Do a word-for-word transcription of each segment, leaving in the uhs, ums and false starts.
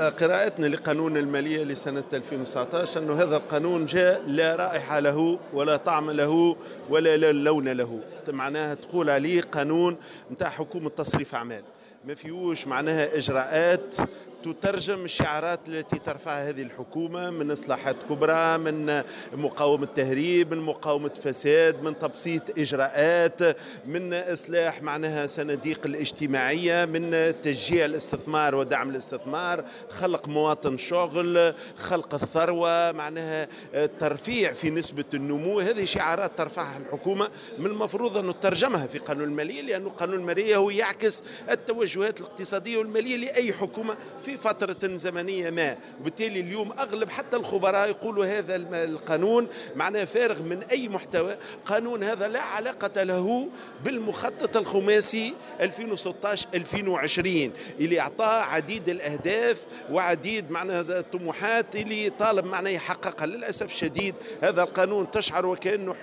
قراءتنا لقانون المالية لسنة ألفين وتسعطاش أنه هذا القانون جاء لا رائحة له ولا طعم له ولا لون له، معناها تقول عليه قانون نتاع حكومة تصريف أعمال، ما فيهوش معناها إجراءات تترجم الشعارات التي ترفعها هذه الحكومة من إصلاحات كبرى، من مقاومة تهريب، من مقاومة فساد، من تبسيط إجراءات، من إصلاح معناها صناديق الاجتماعية، من تشجيع الاستثمار ودعم الاستثمار، خلق مواطن شغل، خلق الثروة، معناها ترفيع في نسبة النمو. هذه شعارات ترفعها الحكومة، من المفروض أن نترجمها في قانون المالية، لأن قانون المالية هو يعكس التوجهات الاقتصادية والمالية لأي حكومة في فترة زمنية ما. وبالتالي اليوم أغلب حتى الخبراء يقولوا هذا القانون معناه فارغ من أي محتوى، قانون هذا لا علاقة له بالمخطط الخماسي ألفين وستطاش ألفين وعشرين اللي أعطاه عديد الأهداف وعديد معناها الطموحات اللي طالب معناه يحققها. للأسف الشديد هذا القانون تشعر وكأنه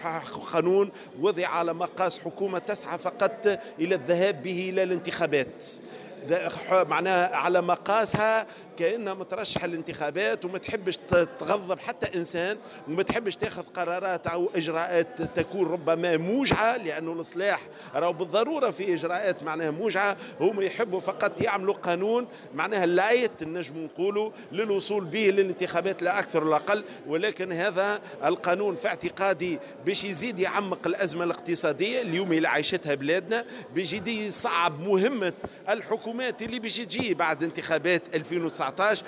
قانون وضع على مقاس حكومة تسعى فقط إلى الذهاب به إلى الانتخابات، معناها على مقاسها كأنها مترشحة للانتخابات وما تحبش تغضب حتى إنسان، وما تحبش تاخذ قرارات أو إجراءات تكون ربما موجعة، لأنه الإصلاح راهو بالضرورة في إجراءات معناها موجعة. هم يحبوا فقط يعملوا قانون معناها light نجم نقولوا للوصول به للانتخابات لا أكثر ولا أقل، ولكن هذا القانون في اعتقادي باش يزيد يعمق الأزمة الاقتصادية اليوم اللي عايشتها بلادنا، باش يزيد يصعب مهمة الحكومات اللي باش تجي بعد انتخابات ألفين وتسعطاش.